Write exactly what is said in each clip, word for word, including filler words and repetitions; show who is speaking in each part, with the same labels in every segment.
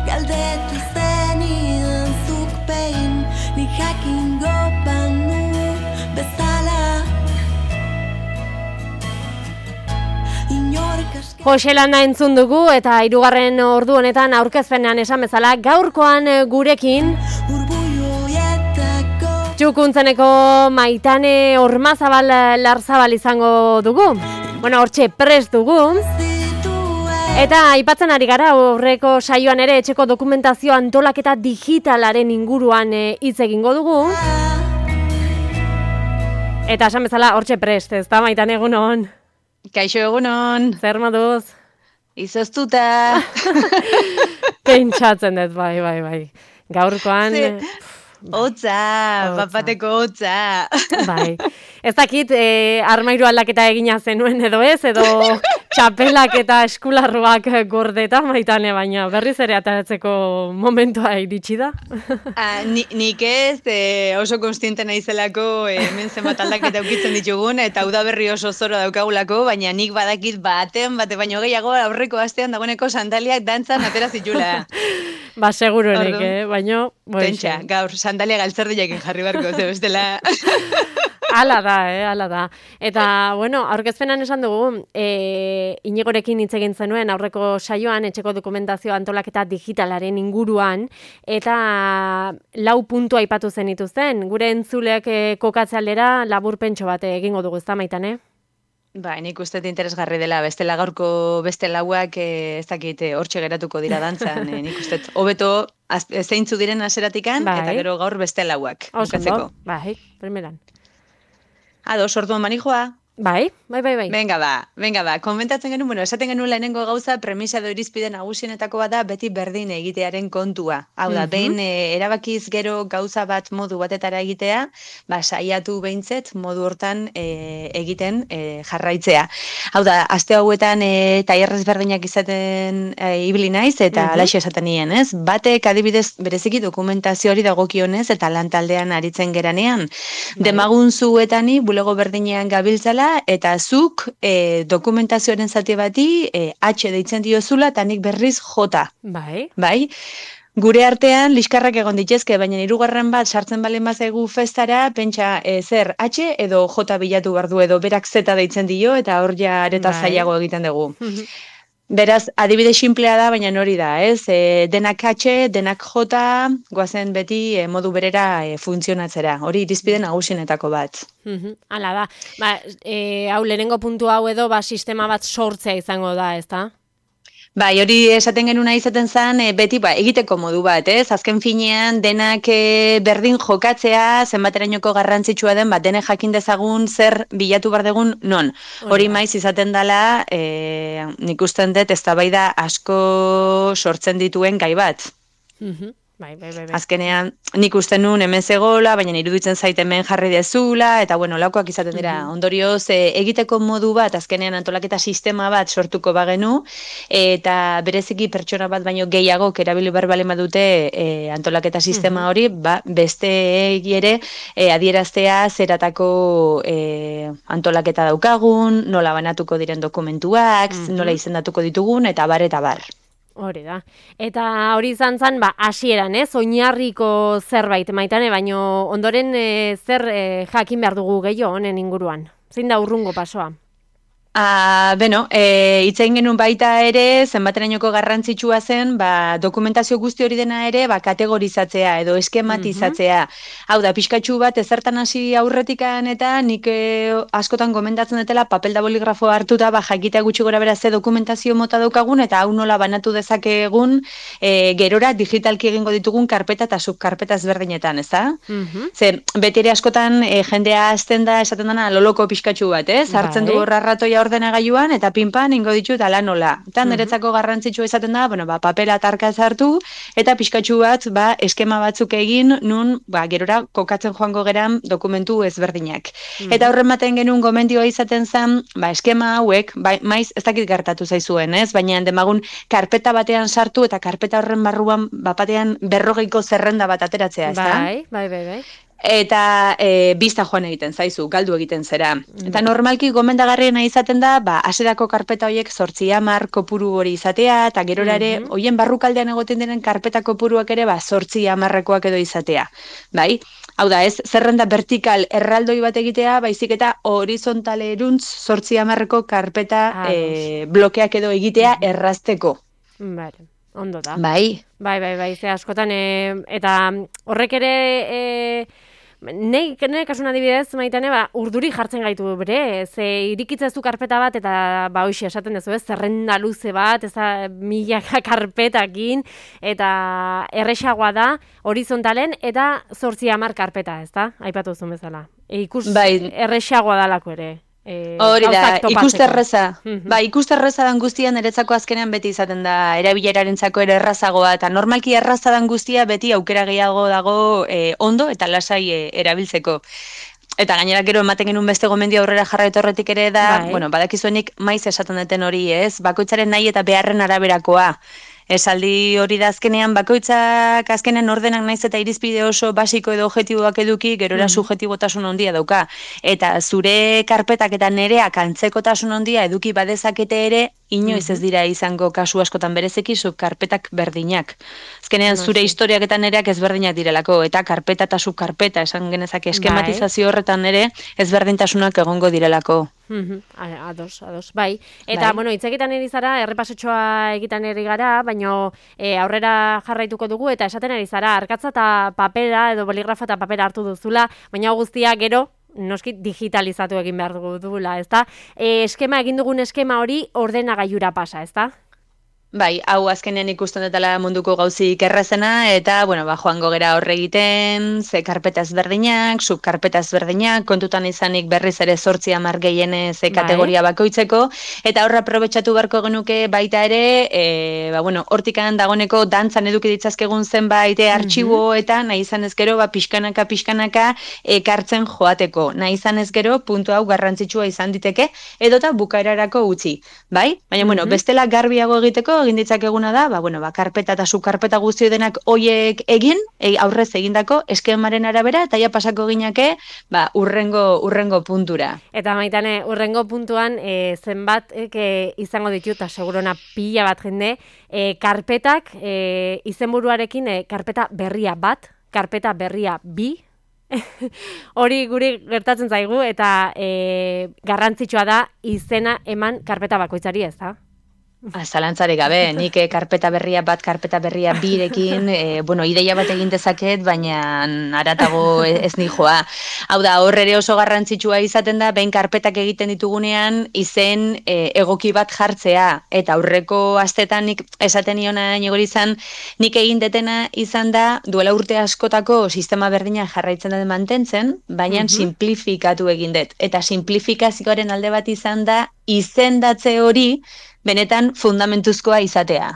Speaker 1: Galdetu zenidan zuk behin, nik jakingo banu bezala.
Speaker 2: Jose Landa entzun dugu eta hirugarren ordu honetan aurkezpenean esan bezala gaurkoan gurekin Txukuntzeneko Maitane Ormazabal Larzabal izango dugu. Bueno, hortxe prest dugu. Eta aipatzen ari gara horreko saioan ere etxeko dokumentazio antolaketa digitalaren inguruan hitz egingo dugu. Eta esan bezala hortxe prest, ez da Maitane, egunon?
Speaker 3: Kaixo, egunon.
Speaker 2: Zer moduz?
Speaker 3: Izoztuta.
Speaker 2: Pentsatzen dut, bai, bai, bai. Gaurkoan...
Speaker 3: Hotza, bapateko hotza.
Speaker 2: Bai. Ez dakit, eh, armairu aldaketa egina zenuen edo ez, edo txapelak eta eskularruak gordeta, Maitane, baina berriz ere ataratzeko momentua iritsi da.
Speaker 3: Ah, ni, nik ez, eh, oso konstiente naizelako eh, hemen zenbat aldaketa ukitzen ditugun, eta udaberri oso zoro daukagulako, baina nik badakit baten, bate baino gehiago aurreko astean dagoeneko sandaliak dantzan atera zitula.
Speaker 2: Ba, seguruenik, eh? Baina...
Speaker 3: Pentsa, gaur, sandalia galtzerdiakin jarri barko, ze bestela...
Speaker 2: Hala da, eh, hala da. Eta, bueno, aurkezpenan esan dugu, e, Inigorekin hitz egin zenuen aurreko saioan etxeko dokumentazio antolaketa digitalaren inguruan, eta lau puntu aipatu zen dituzten. Gure entzuleak e, kokatze aldera laburpentxo bat egingo dugu, ez da, Maitane?
Speaker 3: Ba, nik uste interesgarri dela, bestela gaurko beste lauak ez dakit hortxe geratuko dira dantzan, e, nik uste hobeto zeintzu diren aseratikan, bai. Eta gero gaur beste lauak.
Speaker 2: Oso, bai, primeran.
Speaker 3: Ados, orduan manijoa?
Speaker 2: Bai, bai, bai, bai.
Speaker 3: Venga ba, venga ba, komentatzen genuen, bueno, esaten genuen lehenengo gauza, premisa edo irizpide nagusienetako bat da beti berdin egitearen kontua. Hau da, mm-hmm. behin e, erabakiz gero gauza bat modu batetara egitea, ba, saiatu behintzet modu hortan e, egiten e, jarraitzea. Hau da, aste hauetan e, tailerrez berdinak izaten e, ibili naiz, eta mm-hmm. alaxo esaten nien, ez? Batek adibidez bereziki dokumentazio hori dagokionez, eta lantaldean aritzen geranean. Bai. Demagun zuetani, bulego berdinean gabiltzala, eta zuk e, dokumentazioaren zati bati e, H deitzen diozula eta nik berriz J.
Speaker 2: Bai.
Speaker 3: Bai. Gure artean liskarrak egon ditezke, baina hirugarren bat sartzen balen bazaigu festara, pentsa e, zer H edo J bilatu behar du edo berak Z deitzen dio eta hor ja areta bai. Zailago egiten dugu. Beraz, adibide sinplea da, baina hori da, ez? E, denak H, denak J, goazen beti e, modu berera e, funtzionatzera. Hori irizpide nagusienetako bat.
Speaker 2: Hala da. Ba, e, hau lehenengo puntu hau edo, ba, sistema bat sortzea izango da, ez da?
Speaker 3: Bai, hori esaten genuna izaten zen, e, beti ba, egiteko modu bat, ez? Azken finean, denak e, berdin jokatzea, zenbaterainoko garrantzitsua den, bat denek jakin dezagun zer bilatu behar dugun non. Hori maiz izaten dela, e, nik usten dut, eztabaida asko sortzen dituen gai bat.
Speaker 2: Mhm. Bai, bai, bai, bai.
Speaker 3: Azkenean, nik uste nun hemen zegoela, baina iruditzen zait hemen jarri dezula, eta bueno, laukoak izaten dira. Mm-hmm. Ondorioz, e, egiteko modu bat, azkenean antolaketa sistema bat sortuko bagenu, eta bereziki pertsona bat baino gehiago erabili behar bale badute e, antolaketa sistema mm-hmm. hori, ba, beste ere e, adieraztea zeratako e, antolaketa daukagun, nola banatuko diren dokumentuak, mm-hmm. nola izendatuko ditugun, eta bar, eta bar.
Speaker 2: Hori da. Eta hori izan zen, ba, hasieran, ez? Oinarriko zerbait, Maitane, baino ondoren e, zer e, jakin behar dugu gehiago honen inguruan? Zein da urrungo pasoa?
Speaker 3: Ah, beno, e, itzein genuen baita ere, zenbaterainoko garrantzitsua zen, ba, dokumentazio guzti hori dena ere, ba, kategorizatzea edo eskematizatzea. Mm-hmm. Hau da, pixkatxu bat ezertan hasi aurretikan eta nik e, askotan gomendatzen dutela papel da boligrafo hartuta, ba, jakitea gutxi gora bera ze dokumentazio mota daukagun, eta hau nola banatu dezakegun e, gerora digitalki egingo ditugun karpeta eta subkarpeta ezberdinetan, ez da? Mm-hmm. Zer, beti ere askotan e, jendea azten da, esaten dana, loloko pixkatxu bat, ez? Hartzen du horrarratoia ordenagailuan eta pinpan ingo ditu eta lan nola. Eta niretzako garrantzitsua izaten da, bueno, ba, papela tarka hartu eta pixkatxu bat, ba, eskema batzuk egin, nun, ba, gerora kokatzen joango geran dokumentu ezberdinak. Mm. Eta horren baten genuen gomendioa izaten zen, ba, eskema hauek, ba, maiz ez dakit gertatu zaizuen, ez? Baina demagun karpeta batean sartu eta karpeta horren barruan, ba, batean berrogeiko zerrenda bat ateratzea, ez da?
Speaker 2: Bai, bai, bai, bai.
Speaker 3: eta e, bista joan egiten zaizu, galdu egiten zera. Eta normalki gomendagarriena izaten da, ba, hasierako karpeta horiek zortzi hamar kopuru hori izatea, eta gerora ere,
Speaker 2: Mhm.
Speaker 3: hoien barrukaldean egoten diren karpeta kopuruak ere, ba, zortzi hamarrekoak edo izatea. Bai? Hau da, ez zerrenda vertikal erraldoi bat egitea, baizik eta horizontalerantz zortzi hamarreko karpeta
Speaker 2: Ados.
Speaker 3: e, blokeak edo egitea errazteko.
Speaker 2: Vale, ondo da.
Speaker 3: Bai,
Speaker 2: Bai, bai, bai, ze askotan, e, eta horrek ere, e, nei, nei kasuna adibidez, maitane, ba, urduri jartzen gaitu bere, ze irikitzez du karpeta bat, eta ba, hoxe, esaten dezu, ez, zerrenda luze bat, ez da, milaka karpetakin, eta erresagoa da, horizontalen, eta zortzi hamar karpeta, ez da, aipatu zuen bezala. E, ikus,
Speaker 3: Bai.
Speaker 2: erresagoa dalako ere. E,
Speaker 3: Hori da,
Speaker 2: gauzak topatzeko.
Speaker 3: ikusterreza.
Speaker 2: Mhm.
Speaker 3: Ba, ikusterreza dan guztia niretzako azkenean beti izaten da erabilerarentzako ere errazagoa, eta normalki erraza dan guztia beti aukera gehiago dago e, ondo eta lasai e, erabiltzeko. Eta gainera gero ematen genuen beste gomendio aurrera jarraitu horretik ere da,
Speaker 2: Bai.
Speaker 3: bueno, badakizuenik maiz esaten duten hori, ez? Bakoitzaren nahi eta beharren araberakoa. Esaldi hori da azkenean, bakoitzak azkenean ordenak naiz eta irizpide oso basiko edo objektiboak eduki, gerora
Speaker 2: Mhm.
Speaker 3: subjektibotasun handia dauka. Eta zure karpetak eta nereak antzekotasun handia eduki badezakete ere, inoiz ez dira izango kasu askotan berezeki subkarpetak berdinak. Azkenean zure
Speaker 2: Noski.
Speaker 3: historiak eta nereak ezberdinak direlako, eta karpeta eta subkarpeta esan genezake eskematizazio horretan ere ezberdintasunak egongo direlako.
Speaker 2: Mhm, a- ados, ados, bai. Eta,
Speaker 3: Bai.
Speaker 2: bueno, hitz egiten ari zara, errepasotxoa egiten ari gara, baina e, aurrera jarraituko dugu, eta esaten ari zara, arkatza eta papera, edo boligrafa eta papera hartu duzula, baina hau guztia gero, noski digitalizatu egin behar dugu dugula, ezta? E, eskema, egin dugun eskema hori ordenagailura pasa, ezta?
Speaker 3: Bai, hau azkenean ikusten dutela munduko gauzik errazena, eta, bueno, ba, joango gera horre egiten, ze karpeta ezberdinak, subkarpeta ezberdinak, kontutan izanik berriz ere zortzi hamar gehienez ze
Speaker 2: Bai.
Speaker 3: kategoria bakoitzeko, eta horra aprobetxatu beharko genuke baita ere, e, ba, bueno, hortikan dagoneko dantzan eduki ditzazkegun zenbait e, artxibo eta nahi izan ez gero, ba, pixkanaka, pixkanaka ekartzen joateko. Nahi izan ez gero, puntu hau garrantzitsua izan diteke, edota bukaerarako utzi, bai? Baina, bueno, bestela garbiago egiteko, egin ditzakeguna da, ba, bueno, ba, karpeta eta subkarpeta guztio denak hoiek egin, e, aurrez egindako eskemaren arabera, eta ja pasako ginake, ba, urrengo, urrengo puntura.
Speaker 2: Eta maitane, urrengo puntuan, e, zenbat e, izango ditu, eta segurona pila bat jende, e, karpetak, e, izenburuarekin, e, karpeta berria bat, karpeta berria bi, hori guri gertatzen zaigu, eta e, garrantzitsua da izena eman karpeta bakoitzari, ez da?
Speaker 3: Zalantzarik gabe, nik eh, karpeta berria bat, karpeta berria birekin, e, bueno, ideia bat egin dezaket, baina aratago ez nijoa. Hau da, hor ere oso garrantzitsua izaten da, behin karpetak egiten ditugunean, izen e, egoki bat jartzea, eta aurreko astetan nik esaten niona nigori izan, nik egin detena izan da, duela urte askotako sistema berdina jarraitzen dut mantentzen, baina
Speaker 2: Mhm.
Speaker 3: simplifikatu egin dut. Eta simplifikazioaren alde bat izan da, izendatze hori, benetan fundamentuzkoa izatea.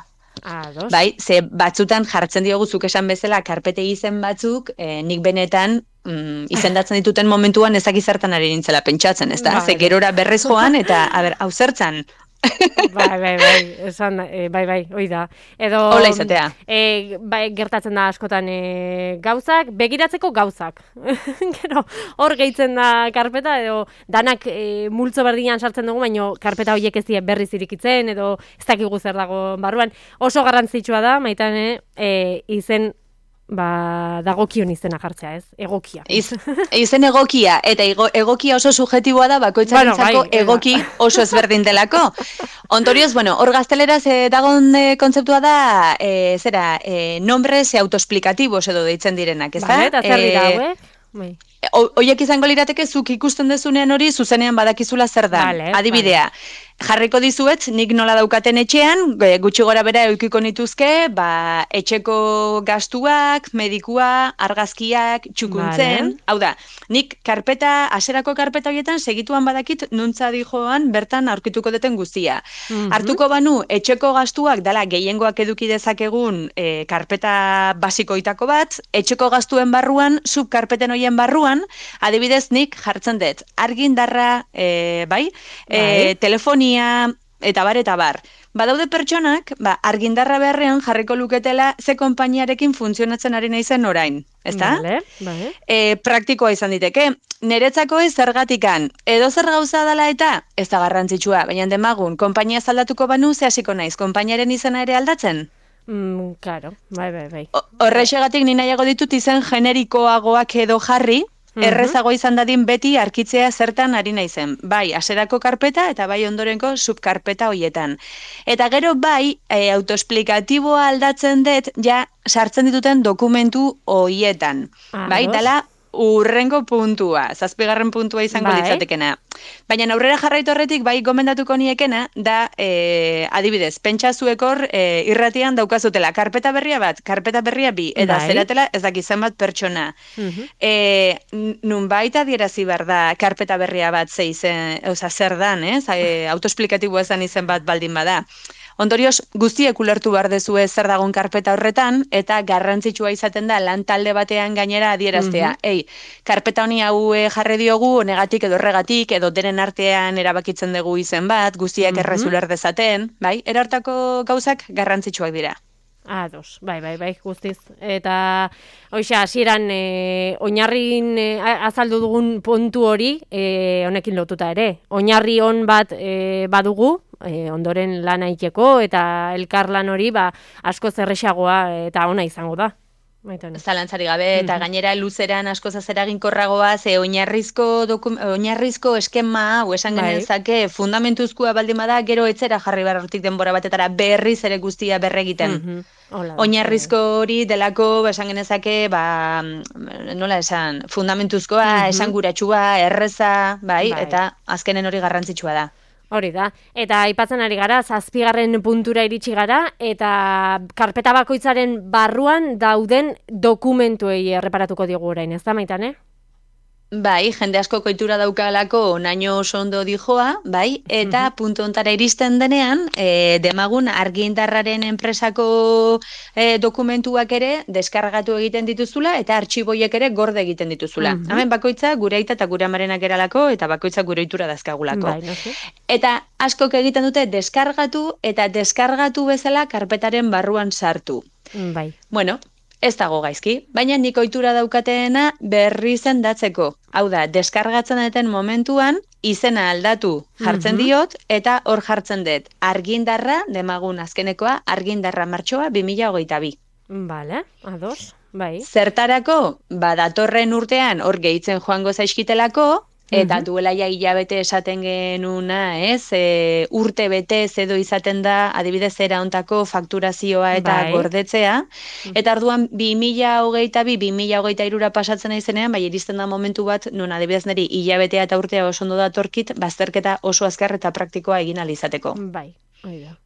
Speaker 2: Ados.
Speaker 3: Bai, ze batzutan jartzen diogu zuk esan bezala karpete izen batzuk, eh, nik benetan mm, izendatzen dituten momentuan ezak zertan ari nintzela pentsatzen, ezta?
Speaker 2: Vale.
Speaker 3: Ze gerora berrez joan eta, a ber, hau zertzan.
Speaker 2: Bai, bai, bai, esan, e, bai, bai, hoi da. Edo,
Speaker 3: Hola izatea.
Speaker 2: E, bai, gertatzen da askotan e, gauzak, begiratzeko gauzak. Gero, hor gehitzen da karpeta, edo danak e, multzo berdinan sartzen dugu, baina karpeta horiek ez die berriz irikitzen, edo ez dakigu zer dago barruan. Oso garrantzitsua da, maitane, e, izen, ba, dagokion izena jartzea, ez? Egokia.
Speaker 3: Iz, izen egokia, eta ego, egokia oso subjetiboa da, bakoitzarentzako
Speaker 2: Bueno, bai,
Speaker 3: egoki oso ezberdin delako. Ondorioz, bueno, hor gazteleraz eh, dagon eh, kontzeptua da, eh, zera, eh, nombres autoexplikatibos edo deitzen direnak, ez da?
Speaker 2: Vale, eta zer dira,
Speaker 3: Eh,
Speaker 2: hauek? Bai.
Speaker 3: Oiek izango lirateke zuk ikusten dezunean hori zuzenean badakizula zer da.
Speaker 2: Vale,
Speaker 3: Adibidea, jarriko dizuet, nik nola daukaten etxean, e, gutxi gora bera eukiko nituzke, ba, etxeko gastuak, medikua, argazkiak, txukuntzen,
Speaker 2: Vale.
Speaker 3: hau da, nik karpeta, aserako karpeta horietan segituan badakit nuntza dijoan bertan aurkituko deten guztia.
Speaker 2: Mhm.
Speaker 3: Hartuko banu, etxeko gastuak dala gehiengoak eduki dezakegun e, karpeta basikoitako bat, etxeko gastuen barruan, subkarpeten horien barruan, adibidez nik jartzen dut, argindarra, e, bai, e,
Speaker 2: Bai.
Speaker 3: telefonia, eta bar, eta bar. Badaude pertsonak, ba, argindarra beharrean jarriko luketela ze konpainiarekin funtzionatzen ari naizen orain. ezta?
Speaker 2: Vale, vale.
Speaker 3: E, praktikoa izan diteke. Neretzako ez zergatikan, edo zer gauza dela eta ez da garrantzitsua, baina demagun, konpainia aldatuko banu, ze hasiko naiz, konpainiaren izena ere aldatzen?
Speaker 2: Mm, claro, bai, bai, bai.
Speaker 3: Horrexegatik ni nahiago ditut izen generikoagoak edo jarri, errezago izan dadin beti arkitzea zertan ari naizen. Bai, hasierako karpeta eta bai ondorenko subkarpeta hoietan. Eta gero bai, e, autoesplikatiboa aldatzen dut, ja sartzen dituten dokumentu hoietan.
Speaker 2: Ah,
Speaker 3: bai,
Speaker 2: dos.
Speaker 3: dala urrengo puntua, zazpigarren puntua izango
Speaker 2: Bai.
Speaker 3: litzatekena. Baina aurrera jarraitu horretik bai gomendatuko niekena da, e, adibidez, pentsa zuek hor e, irratian daukazutela, karpeta berria bat, karpeta berria bi, eta
Speaker 2: Bai.
Speaker 3: zeratela ez daki zenbat pertsona.
Speaker 2: Mhm.
Speaker 3: E, nunbait adierazi behar da karpeta berria bat ze izen, oza, zer dan, ez? E, autoesplikatiboa ezan izen bat baldin bada. Ondorioz, guztiek ulertu behar dezue zer dagon karpeta horretan, eta garrantzitsua izaten da lan talde batean gainera adieraztea. Ei, karpeta honi hau eh, jarri diogu, honegatik edo horregatik, edo denen artean erabakitzen dugu izen bat, guztiak
Speaker 2: Mhm.
Speaker 3: errez uler dezaten, bai? Erartako gauzak garrantzitsuak dira.
Speaker 2: Ados, bai, bai, bai, guztiz. Eta, hoxe, hasieran e, oinarrin e, a- azaldu dugun puntu hori, e, honekin lotuta ere. Oinarri on bat e, badugu, e, ondoren lan aiteko, eta elkarlan hori, ba, asko zerrexagoa eta ona izango da. Baita,
Speaker 3: Zalantzari gabe, eta gainera luzeran asko zeraginkorragoa, ze oinarrizko, dokum, oinarrizko eskema, hau esan
Speaker 2: Bai.
Speaker 3: genezake, fundamentuzkoa baldin bada, gero etzera jarri behar hortik denbora batetara berriz ere guztia berregiten.
Speaker 2: Mhm. Hola da.
Speaker 3: Oinarrizko hori delako, ba, esan genezake, ba, nola esan, fundamentuzkoa, esanguratsua, erreza, bai,
Speaker 2: Bai.
Speaker 3: eta azkenen hori garrantzitsua da.
Speaker 2: Hori da. Eta aipatzen ari gara, zazpigarren puntura iritsi gara, eta karpeta bakoitzaren barruan dauden dokumentuei erreparatuko diogu orain, ez da, Maitane?
Speaker 3: Bai, jende asko koitura daukalako naino oso ondo dijoa, bai, eta puntu ontara iristen denean, e, demagun argindarraren enpresako e, dokumentuak ere deskargatu egiten dituzula, eta artxiboiek ere gorde egiten dituzula.
Speaker 2: Mhm.
Speaker 3: Hemen bakoitza gure aita eta gure amarenak eralako, eta bakoitza gure ohitura dazkagulako.
Speaker 2: Bai, noski.
Speaker 3: Eta askok egiten dute deskargatu, eta deskargatu bezala karpetaren barruan sartu.
Speaker 2: Bai.
Speaker 3: Bueno, ez dago gaizki, baina nik ohitura daukateena berri zendatzeko. Hau da, deskargatzen duten momentuan, izena aldatu jartzen diot, eta hor jartzen dut argindarra, demagun azkenekoa, argindarra martxoa bi mila hogeita bi.
Speaker 2: Vale, ados, bai.
Speaker 3: Zertarako, ba, datorren urtean hor gehitzen joango zaizkitelako, eta duela ja hilabete esaten genuna, ez? E, urte bete edo izaten da, adibidez era ontako fakturazioa eta
Speaker 2: Bai.
Speaker 3: gordetzea. Eta orduan bi mila hogeita bi, bi mila hogeita hirura pasatzen naizenean, bai iristen da momentu bat, non adibidez niri hilabetea eta urtea oso ondo datorkit, bazterketa oso azkar eta praktikoa egin ahal izateko.
Speaker 2: Bai, hori da.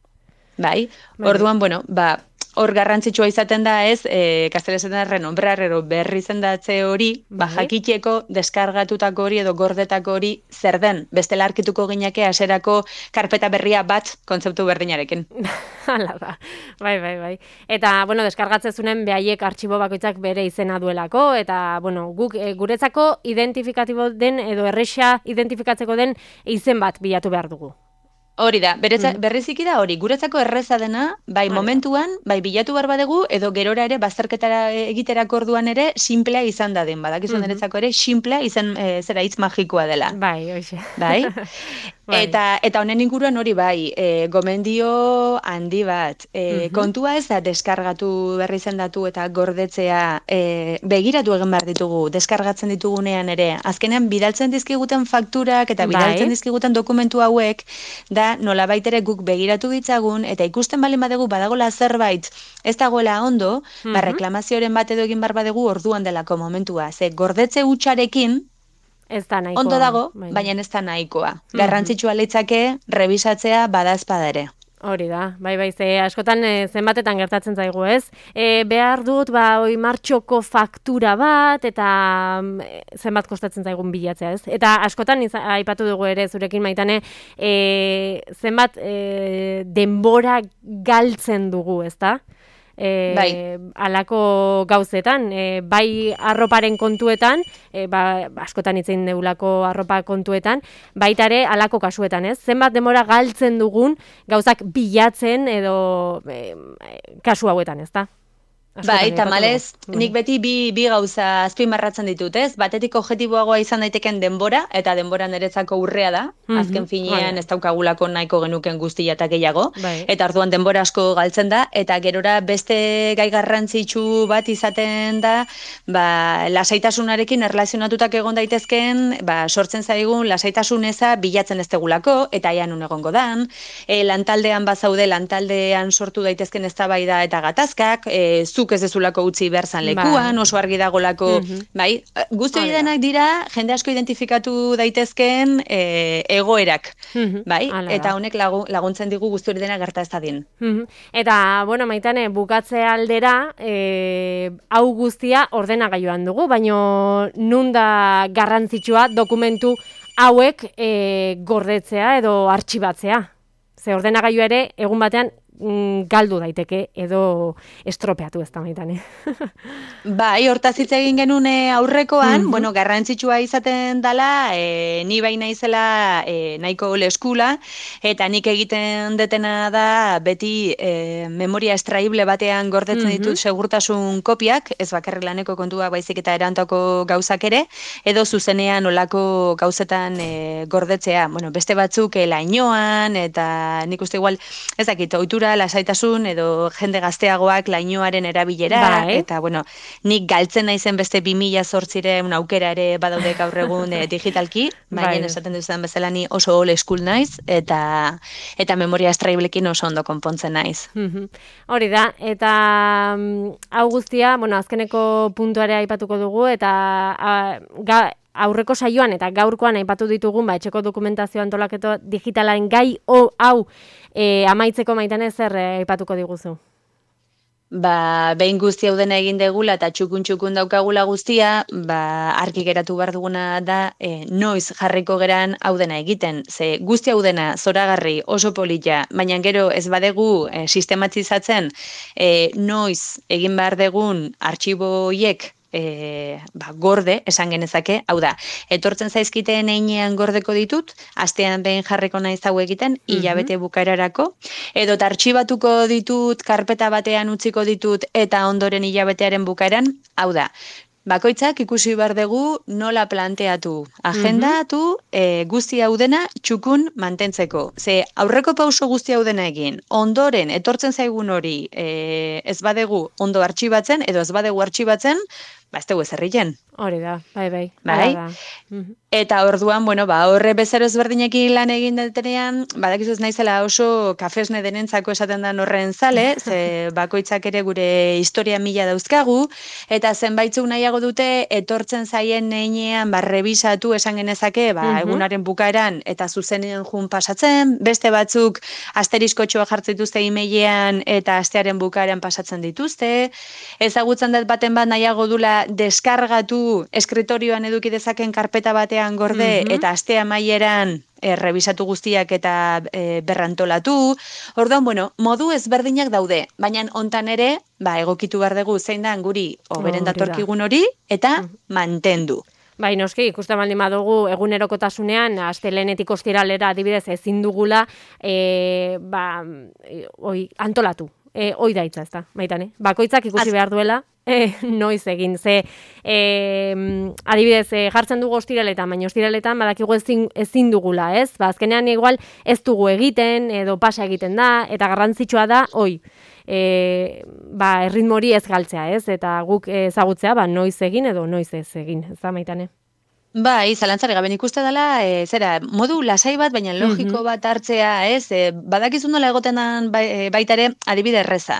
Speaker 3: Bai,
Speaker 2: Bai.
Speaker 3: orduan, bueno, ba, hor garrantzitsua izaten da ez, e, kastelesetan da renombrar ero berri zendatze hori, ba,
Speaker 2: Bai.
Speaker 3: jakiteko deskargatutako hori edo gordetako hori zer den. Bestela arkituko gineke haserako karpeta berria bat kontzeptu berdinarekin.
Speaker 2: Hala da. Bai, bai, bai. Eta, bueno, deskargatzezunen behaiek artxibo bakoitzak bere izena duelako, eta, bueno, guk e, guretzako identifikatibo den edo erresa identifikatzeko den izen bat bilatu behar dugu.
Speaker 3: Hori da, bereza, berriziki da hori, guretzako erreza dena, bai
Speaker 2: Bai.
Speaker 3: momentuan, bai bilatu behar badegu, edo gerora ere, bazterketara egiterako orduan ere, simplea izan dadin, badakizu niretzako ere, simplea izan, e, zera hitz magikoa dela.
Speaker 2: Bai, hoxe.
Speaker 3: Bai?
Speaker 2: Bai.
Speaker 3: Eta, eta honen inguruan hori bai, e, gomendio handi bat. E, Kontua ez da deskargatu berri zendatu eta gordetzea e, begiratu egin behar ditugu, deskargatzen ditugunean ere. Azkenean bidaltzen dizkiguten fakturak eta
Speaker 2: Bai.
Speaker 3: bidaltzen dizkiguten dokumentu hauek, da nolabait ere guk begiratu ditzagun, eta ikusten baldin badegu badagola zerbait ez dagoela ondo, ba reklamazioren bat edo egin behar badegu orduan delako momentua. Ze gordetze hutsarekin,
Speaker 2: Ez da nahikoa.
Speaker 3: ondo dago,
Speaker 2: bai.
Speaker 3: baina ez da nahikoa. Garrantzitsua litzake rebisatzea bada ezpada ere.
Speaker 2: Hori da, bai, bai, ze askotan e, zenbatetan gertatzen zaigu, ez? E, behar dut, ba, oi martxoko faktura bat, eta mm, e, zenbat kostatzen zaigun bilatzea, ez? Eta askotan, iza, aipatu dugu ere, zurekin Maitane, e, zenbat e, denbora galtzen dugu, ez da? E,
Speaker 3: Bai.
Speaker 2: Alako gauzetan, e, bai arroparen kontuetan, e, ba, askotan itzein deulako arropa kontuetan, baita ere alako kasuetan, ez? Zenbat denbora galtzen dugun gauzak bilatzen edo e, kasu hauetan, ez da?
Speaker 3: Bai, tamalez, nik beti bi, bi gauza azpimarratzen ditut, ez? Batetik objektiboagoa izan daiteken denbora, eta denbora niretzako urrea da, azken finean ez daukagulako nahiko genuken guztia eta gehiago,
Speaker 2: Bai.
Speaker 3: eta orduan denbora asko galtzen da, eta gerora beste gai garrantzitsu bat izaten da, ba, lasaitasunarekin erlazionatutak egon daitezken, ba, sortzen zaigun lasaitasun eza bilatzen ez tegulako, eta aian un egongo dan, e, lantaldean bazaude, lantaldean sortu daitezken eztabaida eta gatazkak, e, zuk ez dezulako utzi behar zan lekuan,
Speaker 2: Bai.
Speaker 3: oso argi dagolako,
Speaker 2: Mhm.
Speaker 3: bai, guzti hori
Speaker 2: Hori da.
Speaker 3: denak dira, jende asko identifikatu daitezken e, egoerak,
Speaker 2: Mhm.
Speaker 3: bai,
Speaker 2: Hala
Speaker 3: eta
Speaker 2: da.
Speaker 3: honek lagu, laguntzen digu guzti hori dena gerta ez dadin.
Speaker 2: Mhm. Eta, bueno, Maitane, bukatze aldera, e, hau guztia ordenagailuan dugu, baino nun da garrantzitsua dokumentu hauek e, gordetzea edo artxibatzea. Ze ordenagailu ere, egun batean, mm, galdu daiteke edo estropeatu ez da, Maitane.
Speaker 3: Bai, hortaz hitz egin genuen eh, aurrekoan,
Speaker 2: Mhm.
Speaker 3: bueno, garrantzitsua izaten dala, e, ni bai naizela e, nahiko leskula, eta nik egiten detena da beti e, memoria estraible batean gordetzen
Speaker 2: Mhm.
Speaker 3: ditut segurtasun kopiak, ez bakarrik laneko kontuak baizik eta erantako gauzak ere, edo zuzenean olako gauzetan e, gordetzea. Bueno, beste batzuk e, lainoan, eta nik uste igual, ez dakit, ohitura, lasaitasun, edo jende gazteagoak lainoaren erabilera,
Speaker 2: Bai.
Speaker 3: eta bueno, nik galtzen naizen beste bi mila zortziren aukera ere badaude gaur egun e, digitalki, baina
Speaker 2: Bai.
Speaker 3: esaten duzan bezala ni oso old school naiz, eta eta memoria estraiblekin oso ondo konpontzen naiz.
Speaker 2: Mhm. Hori da, eta mm, hau guztia, bueno, azkeneko puntuare aipatuko dugu, eta a, ga, aurreko saioan eta gaurkoan aipatu ditugun, ba, etxeko dokumentazio antolaketo digitalaren gai o, hau e, amaitzeko Maitane zer eh, aipatuko diguzu?
Speaker 3: Ba, behin guzti hau dena egin degula eta txukun-txukun daukagula guztia, ba, argi geratu behar duguna da, e, noiz jarriko geran hau dena egiten. Ze guzti hau dena zoragarri oso polita, baina gero ez badegu e, sistematizatzen e, noiz egin behar degun artxibo hiek E, ba, gorde, esan genezake, hau da, etortzen zaizkiteen einean gordeko ditut, astean behin jarriko naiz hau egiten, hilabete bukaerarako, edo artxibatuko ditut, karpeta batean utziko ditut, eta ondoren hilabetearen bukaeran, hau da, bakoitzak ikusi behar dugu nola planteatu, agendatu, e, guzti hau dena txukun mantentzeko. Ze aurreko pauso guzti hau dena egin, ondoren etortzen zaigun hori e, ez badegu ondo artxibatzen, edo ez badegu artxibatzen, ba ez dugu ezerrien.
Speaker 2: Hori da, bai, bai.
Speaker 3: Bai?
Speaker 2: Hala da. Mhm.
Speaker 3: Eta orduan, bueno, ba, horre bezero ezberdinekin lan egin detenean, badakizu ez naizela oso kafesne denentzako esaten den horren zale, ze bakoitzak ere gure historia mila dauzkagu, eta zenbaitzuk nahiago dute etortzen zaien neinean, ba, rebisatu esan genezake, ba,
Speaker 2: Mhm.
Speaker 3: egunaren bukaeran eta zuzenean jun pasatzen, beste batzuk asteriskotxoa jartzen dituzte emailean eta astearen bukaeran pasatzen dituzte, ezagutzen dut baten bat nahiago dula deskargatu eskriterioan eduki dezaken karpeta batean gorde,
Speaker 2: Mhm.
Speaker 3: eta aste amaieran e, revisatu guztiak eta e, berrantolatu. Orduan, bueno, modu ezberdinak daude, baina hontan ere, ba, egokitu behar dugu zein da guri oberen
Speaker 2: Hori da.
Speaker 3: datorkigun hori, eta mantendu.
Speaker 2: Bai, noski, ikusten baldin badugu egunerokotasunean, astelehenetik ostiralera adibidez ezin dugula, e, ba, e, oi, antolatu. E, oi da hitza, ezta, Maitane. Bakoitzak ikusi
Speaker 3: Az-
Speaker 2: behar duela, e, noiz egin. Ze, e, adibidez, e, jartzen dugu ostiraletan, baina ostiraletan badakigu ezin, ezin dugula, ez? Ba, azkenean igual ez dugu egiten, edo pasa egiten da, eta garrantzitsua da, oi, e, ba, erritmo hori ez galtzea, ez? Eta guk ezagutzea, ba, noiz egin edo noiz ez egin, ez da, Maitane?
Speaker 3: Bai, zalantzari gabe ikuste dela, e, zera, modu lasai bat, baina logiko bat hartzea, ez? E, badakizun nola egoten dan bai, e, baita ere adibide erreza.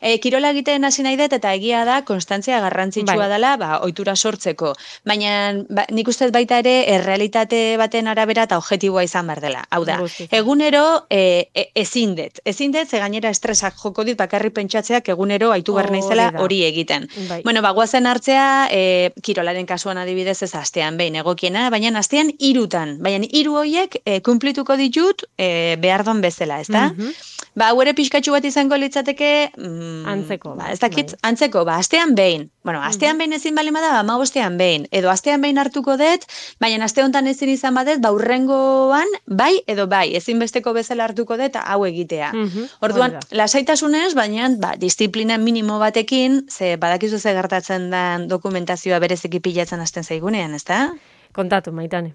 Speaker 3: E, kirola egiten hasi nahi dut eta egia da konstantzia garrantzitsua
Speaker 2: Bai.
Speaker 3: dela, ba, ohitura sortzeko. Baina ba, nik uste dut baita ere errealitate baten arabera eta objektiboa izan behar dela. Hau da,
Speaker 2: Guztiz.
Speaker 3: egunero e, e, ezin dut. Ezin dut, ze gainera estresak joko dit bakarrik pentsatzeak egunero aitu behar naizela
Speaker 2: Hori da.
Speaker 3: hori egiten.
Speaker 2: Bai.
Speaker 3: Bueno, ba, guazen hartzea, e, kirolaren kasuan adibidez ez astean behin, behin egokiena, baina astean hirutan, baina hiru horiek e, kumplituko ditut e, behar don bezala, ezta? Mm-hmm. Ba, hau ere pixkatxu bat izango litzateke... Mm,
Speaker 2: antzeko.
Speaker 3: Ba, ez dakit, bai. Antzeko, ba, astean behin. Bueno, astean mm-hmm. behin ezin balima da, ba, ma bostean behin. Edo astean behin hartuko dut, baina aste honetan ezin izan badet, ba, urrengoan bai edo bai. Ezin besteko bezala hartuko dut, hau egitea. Mm-hmm. Orduan, lasaitasunez, baina, ba, disiplina minimo batekin, ze badakizu ze gertatzen den dokumentazioa bereziki pilatzen hasten zaigunean, ezta?
Speaker 2: Kontatu, Maitane.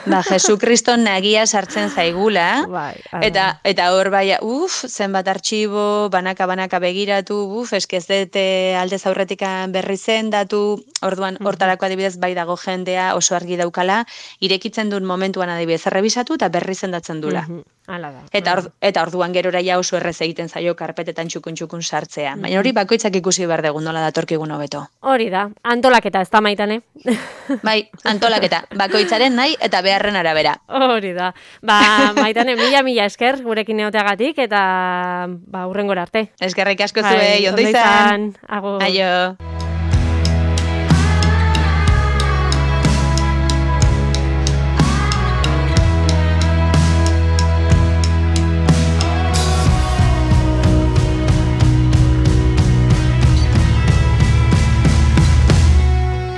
Speaker 3: Ba, Jesukriston nagia sartzen zaigula,
Speaker 2: bai,
Speaker 3: eta eta hor bai, uf, zenbat artxibo, banaka-banaka begiratu, uf, eskez dute aldez aurretikan berri zendatu, orduan hortarako adibidez bai dago jendea oso argi daukala, irekitzen duen momentuan adibidez errebisatu eta berri zendatzen dula.
Speaker 2: Hala da.
Speaker 3: Eta, or, eta orduan gerora ja oso errez egiten zaio karpetetan txukun-txukun sartzea. Baina hori bakoitzak ikusi behar dugu nola datorkigun hobeto.
Speaker 2: Hori da, antolaketa, ez da Maitane?
Speaker 3: Bai, antolaketa, bakoitzaren nahi eta beharren arabera.
Speaker 2: Hori da. Ba, Maitane, mila-mila esker gurekin neoteagatik eta ba, hurrengora arte.
Speaker 3: Eskerrik asko zuei, ondo izan.
Speaker 2: Agur.
Speaker 3: Aio.